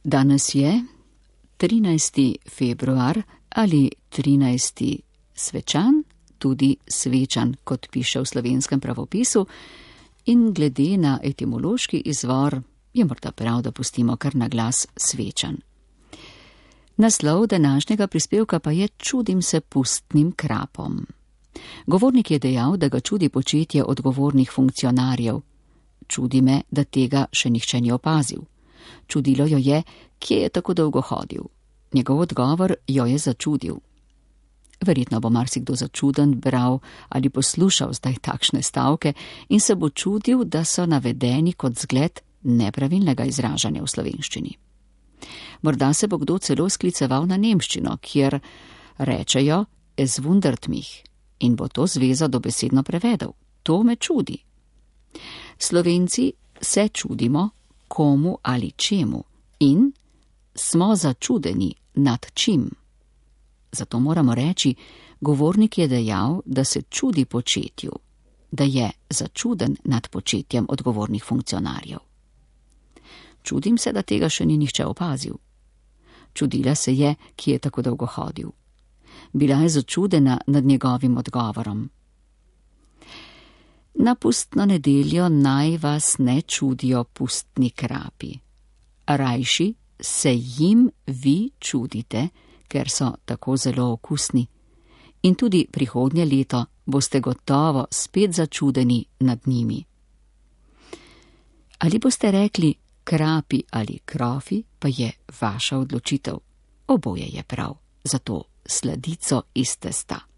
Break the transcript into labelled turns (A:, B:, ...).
A: Danes je 13. februar ali 13. svečan, tudi svečan, kot piše v slovenskem pravopisu, in glede na etimološki izvor je morda prav, da pustimo kar na glas svečan. Naslov današnjega prispevka pa je Čudim se pustnim krapom. Govornik je dejal, da ga čudi početje odgovornih funkcionarjev. Čudi me, da tega še nihče ni opazil. Čudilo jo je, kje je tako dolgo hodil. Njegov odgovor jo je začudil. Verjetno bo marsikdo začuden bral ali poslušal zdaj takšne stavke in se bo čudil, da so navedeni kot zgled nepravilnega izražanja v slovenščini. Morda se bo kdo celo skliceval na nemščino, kjer rečejo es wundert mich in bo to zvezo dobesedno prevedel. To me čudi. Slovenci se čudimo komu ali čemu in smo začudeni nad čim. Zato moramo reči, govornik je dejal, da se čudi početju, da je začuden nad početjem odgovornih funkcionarjev. Čudim se, da tega še ni nihče opazil. Čudila se je, ki je tako dolgo hodil. Bila je začudena nad njegovim odgovorom. Na pustno nedeljo naj vas ne čudijo pustni krapi. Rajši se jim vi čudite, ker so tako zelo okusni. In tudi prihodnje leto boste gotovo spet začudeni nad njimi. Ali boste rekli krapi ali krofi, pa je vaša odločitev. Oboje je prav, zato sladico iz testa.